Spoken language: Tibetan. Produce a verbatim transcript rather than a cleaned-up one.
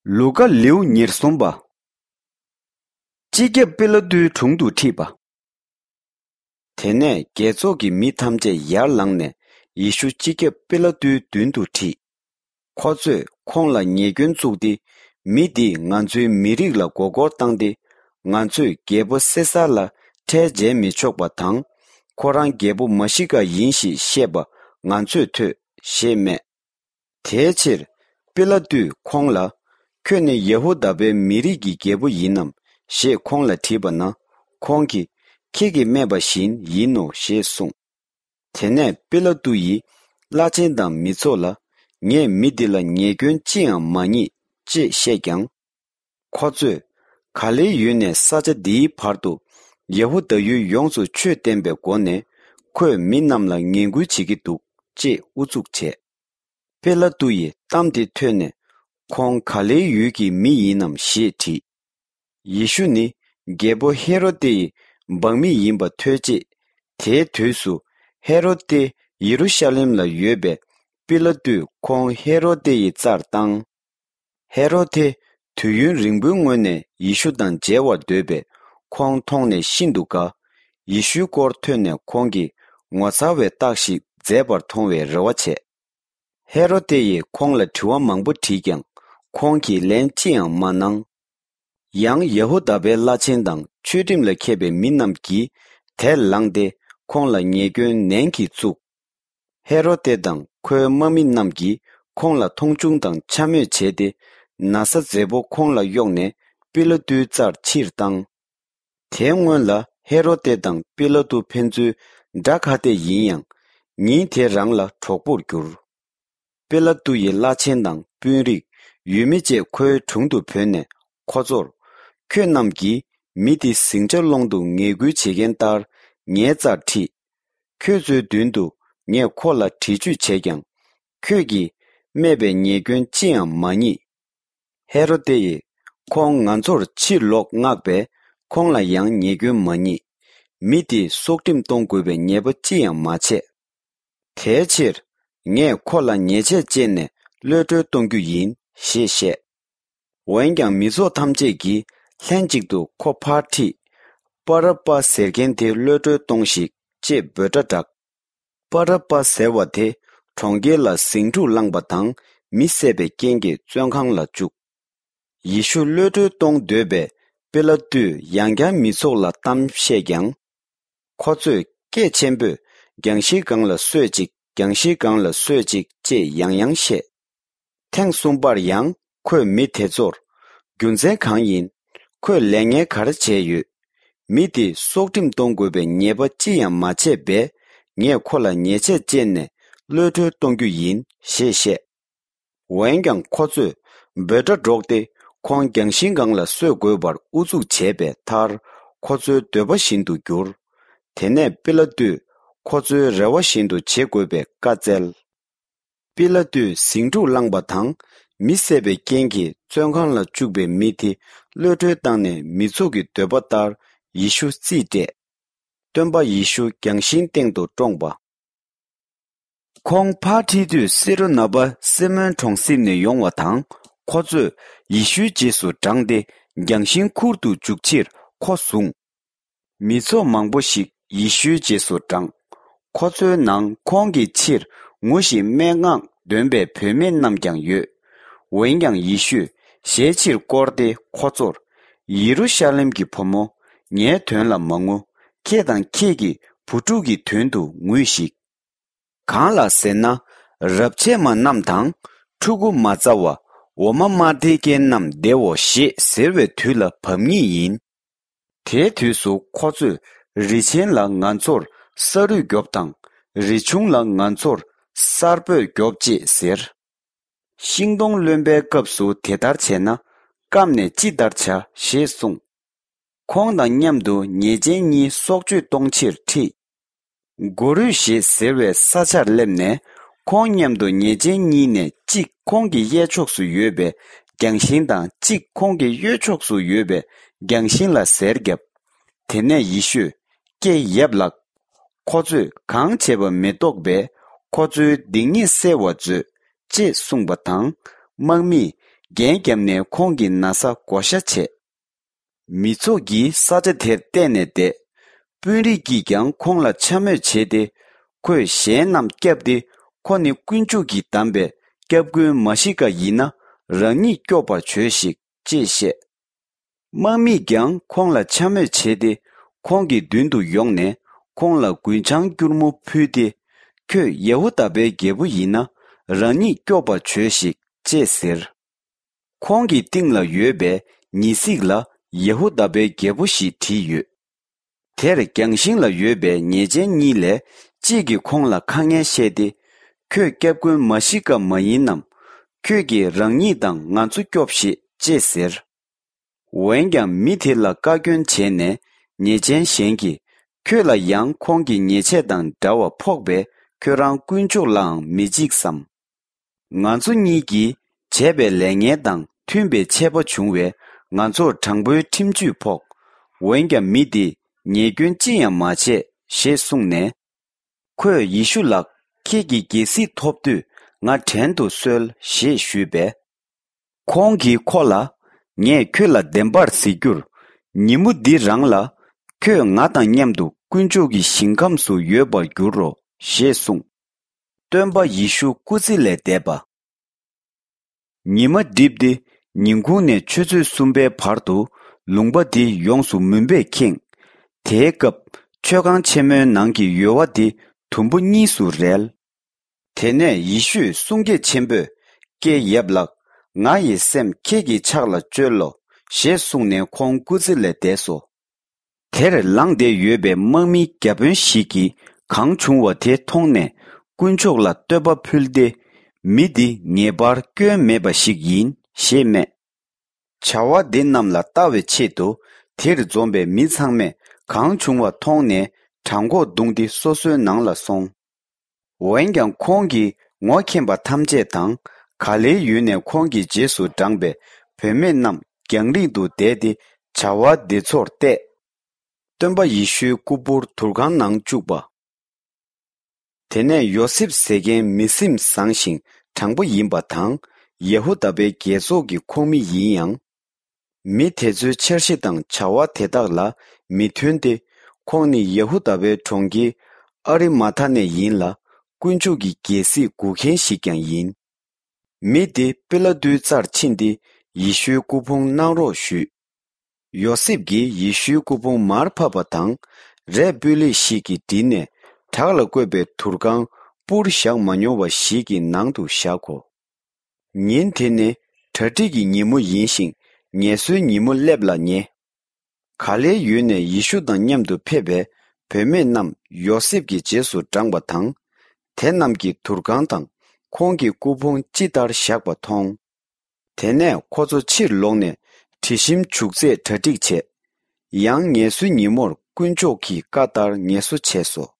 ལུ་ཀ་ལེའུ་ཉེར་གསུམ་པ། སྤྱི་ཁྱབ་པི་ལ་ཏུའི་དྲུང་དུ་ཁྲིད་པ། དེ་ནས་རྒྱལ་ཚོགས་ཀྱི་མི་ཐམས་ཅད་ཡར་ལངས་ནས་ཡེ་ཤུ་སྤྱི་ཁྱབ་པི་ལ་ཏུའི་མདུན་དུ་ཁྲིད། ཁོ་ཚོས་ཁོང་ལ་ཉེས་སྐྱོན་བཙུགས་ཏེ། མི་འདིས་ང་ཚོའི་མི་རིགས་ལ་མགོ་སྐོར་བཏང་སྟེ། ང་ཚོས་རྒྱལ་པོ་སེ་སར་ལ་ཁྲལ་འཇལ་མི་ཆོག་པ་དང་། ཁོ་རང་རྒྱལ་པོ་མ་ཤི་ཀ་ཡིན་ཞེས་བཤད་པ་ང་ཚོས་ཐོས་ཞེས་སྨྲས། དེའི་ཕྱིར་པི་ལ་ཏུས་ཁོང་ལ། ཁྱོད་ནི་ཡ་ཧུ་དཱ་པའི་མི་རིགས་ཀྱི་རྒྱལ་པོ་ཡིན་ནམ་ཞེས་ཁོང་ལ་དྲིས་པ་ན། ཁོང་གིས། ཁྱེད་ཀྱིས་སྨྲས་པ་བཞིན་ཡིན་ནོ་ཞེས་གསུངས། དེ་ནས་པི་ལ་ཏུ་ཡིས་བླ་ཆེན་དང་མི་ཚོགས་ལ། ངས་མི་འདི་ལ་ཉེས་སྐྱོན་ཅི་ཡང་མ་རྙེད་ཅེས་བཤད་ཀྱང་། ཁོ་ཚོས། ག་ལེའི་ཡུལ་ནས་ས་ཆ་འདིའི་བར་དུ་ཡ་ཧུ་དཱ་ཡུལ་ཡོངས་སུ་ཆོས་བསྟན་པའི་སྒོ་ནས། ཁོས་མི་རྣམས་ལ་ངན་སྐུལ་བྱེད་ཀྱི་འདུག་ཅེས་ཨུ་ཚུགས་བྱས། པེ་ལ་ཏུ་ཡིས་གཏམ་དེ་ཐོས་ནས། ཁོང་ག་ལེའི་ཡུལ་གྱི་མི་ཡིན་ནམ་ཞེས་དྲིས། ཡེ་ཤུ་ནི་རྒྱལ་པོ་ཧེ་རོ་ཏེ་ཡི་འབངས་མི་ཡིན་པ་ཐོས་རྗེས། དེའི་དུས་སུ་ཧེ་རོ་ཏེ་ཡེ་རུ་ཤ་ལེམ་ལ་ཡོད་པས། པེ་ལ་ཏུས་ཁོང་ཧེ་རོ་ཏེ་ཡི་རྩར་བཏང་། ཧེ་རོ་ཏེ་དུས་ཡུན་རིང་པོའི་སྔོན་ནས་ཡེ་ཤུ་དང་མཇལ་བར་འདོད་པས། ཁོང་མཐོང་ནས་ཤིན་ཏུ་དགའ། ཡེ་ཤུའི་སྐོར་ཐོས་ནས་ཁོང་གིས་ངོ་མཚར་བའི་རྟགས་ཤིག་མཛད་པར་མཐོང་བའི་རེ་བ་བྱས། ཧེ་རོ་ཏེ་ཡིས་ཁོང་ལ་དྲི་བ་མང་པོ་དྲིས་ཀྱང་། ཁོང་གིས་ལན་ཅི་ཡང་མ་གནང་། ཡང་ཡ་ཧུ་དཱ་པའི་བླ་ཆེན་དང་ཆོས་ཁྲིམས་ལ་མཁས་པའི་མི་རྣམས་ཀྱིས་དེར་ལངས་ཏེ། ཁོང་ལ་ཉེས་སྐྱོན་ནན་གྱིས་བཙུགས། ཧེ་རོ་ཏེ་དང་ཁོའི་དམག་མི་རྣམས་ཀྱིས་ཁོང་ལ་མཐོང་ཆུང་དང་འཕྱ་སྨོད་བྱས་ཏེ། ན་བཟའ་མཛེས་པོ་ཁོང་ལ་གཡོགས་ནས་པི་ལ་ཏུའི་རྩར་ཕྱིར་བཏང་། དེའི་སྔོན་ལ་ཧེ་རོ་ཏེ་དང་པི་ལ་ཏུ་ཕན་ཚུན་དགྲ་ཁ་གཏད་ཡིན་ཡང་། ཉིན་དེ་རང་ལ་གྲོགས་པོར་གྱུར། པི་ལ་ཏུ་ཡི་བླ་ཆེན་དང་དཔོན་རིགས་ཡུལ་མི་བཅས་ཁོའི་དྲུང་དུ་བོས་ནས་ཁོ་ཚོར། ཁྱོད་རྣམས་ཀྱིས་མི་དེ་ཟིང་ཆ་སློང་དུ་ངན་སྐུལ་བྱེད་མཁན་ལྟར་ངའི་རྩར་ཁྲིད། ཁྱོད་ཚོའི་མདུན་དུ་ངས་ཁོ་ལ་འདྲི་གཅོད་བྱས་ཀྱང་། ཁྱོད་ཀྱིས་སྨྲས་པའི་ཉེས་སྐྱོན་ཅི་ཡང་མ་རྙེད། ཧེ་རོ་ཏེ་ཡིས་ཁོང་ང་ཚོར་ཕྱིར་ལོག་མངགས་པས། ཁོང་ལ་ཡང་ཉེས་སྐྱོན་མ་རྙེད། མི་དེས་སྲོག་ཁྲིམས་གཏོང་དགོས་པའི་ཉེས་པ་ཅི་ཡང་མ་བྱས། དེའི་ཕྱིར། ངས་ཁོ་ལ་ཉེས་ཆད་བཅད་ནས་གློད་གྲོལ་གཏོང་རྒྱུ་ཡིན་ཞེས་བཤད། འོན་ཀྱང་མི་ཚོགས་ཐམས་ཅད་ཀྱིས་ལྷན་ཅིག་ཏུ་ཁོ་ཕར་ཁྲིད། པ་ར་པ་ཟེར་མཁན་དེ་གློད་གྲོལ་གཏོང་ཞིག་ཅེས་འབོད་སྒྲ་བསྒྲགས། པ་ར་པ་ཟེར་བ་དེ་གྲོང་ཁྱེར་ལ་ཟིང་འཁྲུག་བསླངས་པ་དང་མི་བསད་པའི་རྐྱེན་གྱིས་བཙོན་ཁང་ལ་བཅུག། ཡེ་ཤུ་གློད་གྲོལ་གཏོང་འདོད་པས་པེ་ལ་ཏུས་ཡང་བསྐྱར་མི་ཚོགས་ལ་གཏམ་བཤད་ཀྱང་། ཁོ་ཚོས་སྐད་ཆེན་པོས་རྒྱང་ཤིང་སྒང་ལ་གསོད་ཅིག་རྒྱང་ཤིང་སྒང་ལ་གསོད་ཅིག་ཅེས་ཡང་ཡང་བཤད། ཐེངས་གསུམ་པར་ཡང་ཁོས་མི་དེ་ཚོར། རྒྱུ་མཚན་གང་ཡིན། ཁོས་ལས་ངན་ག་རེ་བྱས་ཡོད། མི་དེས་སྲོག་ཁྲིམས་གཏོང་དགོས་པའི་ཉེས་པ་ཅི་ཡང་མ་བྱས་པས། ངས་ཁོ་ལ་ཉེས་ཆད་བཅད་ནས་གློད་གྲོལ་གཏོང་རྒྱུ་ཡིན་ཞེས་བཤད། འོན་ཀྱང་ཁོ་ཚོས་འབོད་སྒྲ་སྒྲོག་སྟེ་ཁོང་རྒྱང་ཤིང་སྒང་ལ་གསོད་དགོས་པར་ཨུ་ཚུགས་བྱས་པའི་མཐར། ཁོ་ཚོའི་འདོད་པ་བཞིན་དུ་གྱུར། དེ་ནས་པི་ལ་ཏུས་ཁོ་ཚོའི་རེ་བ་བཞིན་དུ་བྱེད་དགོས་པའི་བཀའ་སྩལ། པི་ལ་ཏུས་ཟིང་འཁྲུག་བསླངས་པ་དང་མི་བསད་པའི་རྐྱེན་གྱིས་བཙོན་ཁང་ལ་བཅུག་པའི་མི་དེ་གློད་གྲོལ་བཏང་ནས་མི་ཚོགས་ཀྱི་འདོད་པ་ལྟར་ཡེ་ཤུ་རྩིས་སྤྲད། སྟོན་པ་ཡེ་ཤུ་རྒྱང་ཤིང་སྟེང་དུ་བཀྲོངས་པ། ཁོང་ཕར་ཁྲིད་དུས་སི་རུ་ན་པ་སི་མོན་གྲོང་གསེབ་ནས་ཡོང་བ་དང་ཁོ་ཚོས་ཡེ་ཤུའི་རྗེས་སུ་འབྲངས་ཏེ་རྒྱང་ཤིང་ཁུར་དུ་འཇུག་ཕྱིར་ཁོ་བཟུང་། མི་ཚོགས་མང་པོ་ཞིག་ཡེ་ཤུའི་རྗེས་སུ་འབྲངས། ཁོ་ཚོའི་ནང་ཁོང་གི་ཕྱིར་ངུ་ཞིང་སྨྲེ་སྔགས་འདོན་པའི་བུད་མེད་རྣམས་ཀྱང་ཡོད། འོན་ཀྱང་ཡེ་ཤུས་ཞལ་ཕྱིར་བསྐོར་ཏེ་ཁོ་ཚོར། ཡེ་རུ་ཤ་ལེམ་གྱི་བུ་མོ། ངའི་དོན་ལ་མ་ངུ། ཁྱེད་དང་ཁྱེད་ཀྱི་བུ་ཕྲུག་གི་དོན་དུ་ངུས་ཤིག། གང་ལགས་ཟེར་ན། རབས་ཆད་མ་རྣམས་དང་། ཕྲུ་གུ་མ་བཙའ་བ། འོ་མ་མ་འདྲེས་མཁན་རྣམས་བདེའོ་ཞེས་ཟེར་བའི་དུས་ལ་བབ་ངེས་ཡིན། དེའི་དུས་སུ་ཁོ་ཚོས་རི་ཆེན་ལ་ང་ཚོར་ས་རུད་རྒྱོབ་དང་། རི་ཆུང་ལ་ང་ཚོར་གསར་སྦོས་རྒྱོབ་ཅེས་ཟེར། ཤིང་སྡོང་རློན་པའི་སྐབས་སུ་དེ་ལྟར་བྱས་ན། སྐབས་ནས་ཅི་ལྟར་བྱ་ཞེས་གསུངས། ཁོང་དང་མཉམ་དུ་ཉེས་ཅན་གཉིས་སྲོག་གཅོད་གཏོང་ཕྱིར་ཁྲིད། སྒོ་རུས་ཞེས་ཟེར་བའི་ས་ཆར་སླེབས་ནས། ཁོང་མཉམ་དུ་ཉེས་ཅན་གཉིས་ནས་གཅིག་ཁོང་གི་གཡས་ཕྱོགས་སུ་ཡོད་པའི་རྒྱང་ཤིང་དང་། གཅིག་ཁོང་གི་གཡོན་ཕྱོགས་སུ་ཡོད་པའི་རྒྱང་ཤིང་ལ་གཟེར་བརྒྱབ། དེ་ནས་ཡེ་ཤུས། ཀྱེ་ཡབ་ལགས། ཁོ་ཚོས་གང་བྱས་པ་མི་རྟོགས་པས། ཁོ་ཚོའི་སྡིག་ཉེས་བསལ་བར་མཛོད། ཅེས་གསུངས་པ་དང་། དམག་མིས་ འགན་བརྒྱབ་ནས་ཁོང་གི་ན་བཟའ་བགོ་བཤའ་བྱས། མི་ཚོགས་ཀྱིས་ས་ཆ་དེར་བལྟས་ནས་བསྡད། དཔོན་རིགས་ཀྱིས་ཀྱང་ཁོང་ལ་འཕྱ་སྨོད་བྱས་ཏེ། ཁོས་གཞན་རྣམས་བསྐྱབས་ཏེ། ཁོ་ནི་དཀོན་མཆོག་གིས་བདམས་པའི་སྐྱབས་མགོན་མཱ་ཤི་ཀ་ཡིན་ན། རང་ཉིད་སྐྱོབ་པར་བྱོས་ཤིག་ཅེས་བཤད། དམག་མིས་ཀྱང་ཁོང་ལ་འཕྱ་སྨོད་བྱས་ཏེ། ཁོང་གི་མདུན་དུ་ཡོང་ནས། ཁོང་ལ་རྒུན་ཆང་སྐྱུར་མོ་ཕུལ་ཏེ། ཁྱོད་ཡ་ཧུ་དཱ་པའི་རྒྱལ་པོ་ཡིན་ན། རང་ཉིད་སྐྱོབ་པར་བྱོས་ཤིག་ཅེས་ཟེར། ཁོང་གི་རྟིང་ལ་ཡོད་པའི་ཉི་ཟིག་ལ། ཡ་ཧུ་དཱ་པའི་རྒྱལ་པོ་ཞེས་བྲིས་ཡོད། དེར་རྒྱང་ཤིང་ལ་ཡོད་པའི་ཉེས་ཅན་གཉིས་ལས་གཅིག་གིས་ཁོང་ལ་ཁ་ངན་བཤད་དེ། ཁྱོད་སྐྱབས་མགོན་མཱ་ཤི་ཀ་མ་ཡིན་ནམ། ཁྱོད་ཀྱིས་རང་ཉིད་དང་ང་ཚོ་སྐྱོབས་ཤིག་ཅེས་ཟེར། འོན་ཀྱང་མི་དེ་ལ་བཀའ་བཀྱོན་བྱས་ནས། ཉེས་ཅན་གཞན་གྱིས། ཁྱོད་ལ་ཡང་ཁོང་གི་ཉེས་ཆད་དང་འདྲ་བ་ཕོག་པས། ཁྱོད་རང་དཀོན་མཆོག་ལའང་མི་འཇིགས་སམ། ང་ཚོ་གཉིས་ཀྱིས་བྱས་པའི་ལས་ངན་དང་མཐུན་པའི་ཆད་པ་བྱུང་བས། ང་ཚོར་དྲང་པོའི་ཁྲིམས་གཅོད་ཕོག། འོན་ཀྱང་མི་འདིས་ཉེས་སྐྱོན་ཅི་ཡང་མ་བྱས་ཞེས་གསུངས་ནས། ཁོས་ཡེ་ཤུ་ལགས། ཁྱེད་ཀྱི་རྒྱལ་སྲིད་ཐོབ་དུས་ང་བྲན་དུ་གསོལ་ཞེས་ཞུས་པས། ཁོང་གིས་ཁོ་ལ། ངས་ཁྱོད་ལ་བདེན་པར་ཟེར་རྒྱུར། ཉིན་མོ་འདི་རང་ལ། ཁྱོད་ང་དང་མཉམ་དུ་དཀོན་མཆོག་གི་ཞིང་ཁམས་སུ་ཡོད་པར་འགྱུར་རོ་ཞེས་གསུངས། སྟོན་པ་ཡེ་ཤུ་སྐུ་ཚེ་ལས་འདས་པ། ཉི་མ་འགྲིབ་སྟེ། ཉིན་གུང་ནས་ཆུ་ཚོད་གསུམ་པའི་བར་དུ། ལུང་པ་འདི་ཡོངས་སུ་མུན་པས་ཁེངས། དེའི་སྐབས་མཆོད་ཁང་ཆེན་མོའི་ནང་གི་ཡོལ་བ་འདི་དུམ་བུ་གཉིས་སུ་རལ། དེ་ནས་ཡེ་ཤུས་གསུང་སྐད་ཆེན་པོས། ཀྱེ་ཡབ་ལགས། ང་ཡི་སེམས་ཁྱེད་ཀྱི་ཕྱག་ལ་བཅོལ་ལོ། ཞེས་གསུངས་ནས་ཁོང་སྐུ་ཚེ་ལས་འདས་སོ། དེར་ལངས་ཏེ་ཡོད་པའི་དམག་མིའི་བརྒྱ་དཔོན་ཞིག་གིས་གང་བྱུང་བ་དེ་མཐོང་ནས། དཀོན་མཆོག་ལ་བསྟོད་པ་ཕུལ་ཏེ། མི་འདི་ངེས་པར་སྐྱོན་མེད་པ་ཞིག་ཡིན་ཞེས་སྨྲས། བྱ་བ་འདི་རྣམས་ལ་ལྟ་བའི་ཆེད་དུ། དེར་འཛོམས་པའི་མི་ཚང་མས་གང་བྱུང་བ་མཐོང་ནས། བྲང་ཁོག་བརྡུངས་ཏེ་སོ་སོའི་ནང་ལ་སོང་། འོན་ཀྱང་ཁོང་གིས་ངོ་མཁྱེན་པ་ཐམས་ཅད་དང་། ག་ལེའི་ཡུལ་ནས་ཁོང་གི་རྗེས་སུ་འབྲངས་པའི་བུད་མེད་རྣམས་རྒྱང་རིང་དུ་བསྡད་དེ། བྱ་བ་འདི་ཚོར་བལྟས། སྟོན་པ་ཡེ་ཤུའི་སྐུ་ཕུང་དུར་ཁང་ནང་བཅུག་པ། དེ་ནས་ཡོ་སེབ་ཟེར་མཁན་མི་སེམས་བཟང་ཞིང་དྲང་པོ་ཡིན་པ་དང་། ཡ་ཧུ་དཱ་པའི་རྒྱལ་ཚོགས་ཀྱི་ཁོངས་མི་ཡིན་ཡང་། མི་དེ་ཚོའི་འཆར་གཞི་དང་བྱ་བ་དེ་དག་ལ་མི་མཐུན་ཏེ། ཁོང་ནི་ཡ་ཧུ་དཱ་པའི་གྲོང་ཁྱེར་ཨ་རི་མ་ཐ་ནས་ཡིན་ལ། དཀོན་མཆོག་གི་རྒྱལ་སྲིད་སྒུག་མཁན་ཞིག་ཀྱང་ཡིན། མི་དེ་པི་ལ་ཏུའི་རྩར་ཕྱིན་ཏེ། ཡེ་ཤུའི་སྐུ་ཕུང་གནང་རོགས་ཞུས། ཡོ་སེབ་ཀྱིས་ཡེ་ཤུའི་སྐུ་ཕུང་མར་ཕབ་པ་དང་། རས་སྤུས་ལེགས་ཤིག་གིས་བྲིས་ནས། བྲག་ལ་བརྐོས་པའི་དུར་ཁང་སྤུར་བཞག་མ་མྱོང་བ་ཞིག་གི་ནང་དུ་བཞག་གོ། ཉིན་དེ་ནི་གྲ་སྒྲིག་གི་ཉིན་མོ་ཡིན་ཞིང་། ངལ་གསོའི་ཉིན་མོ་སླེབས་ལ་ཉེ། ག་ལེའི་ཡུལ་ནས་ཡེ་ཤུ་དང་མཉམ་དུ་ཕེབས་པའི་བུད་མེད་རྣམས་ཡོ་སེབ་ཀྱི་རྗེས་སུ་འབྲངས་པ་དང་། དེ་རྣམས་ཀྱིས་དུར་ཁང་དང་ཁོང་གི་སྐུ་ཕུང་ཅི་ལྟར་བཞག་པ་མཐོང་། དེ་ནས་ཁོ་ཚོ་ཕྱིར་ལོག་ནས་དྲི་ཞིམ་བྱུག་རྫས་གྲ་སྒྲིག་བྱས། ཡང་ངལ་གསོའི་ཉིན་མོར་དཀོན་མཆོག་གི་བཀའ་ལྟར་ངལ་གསོ་བྱས་སོ།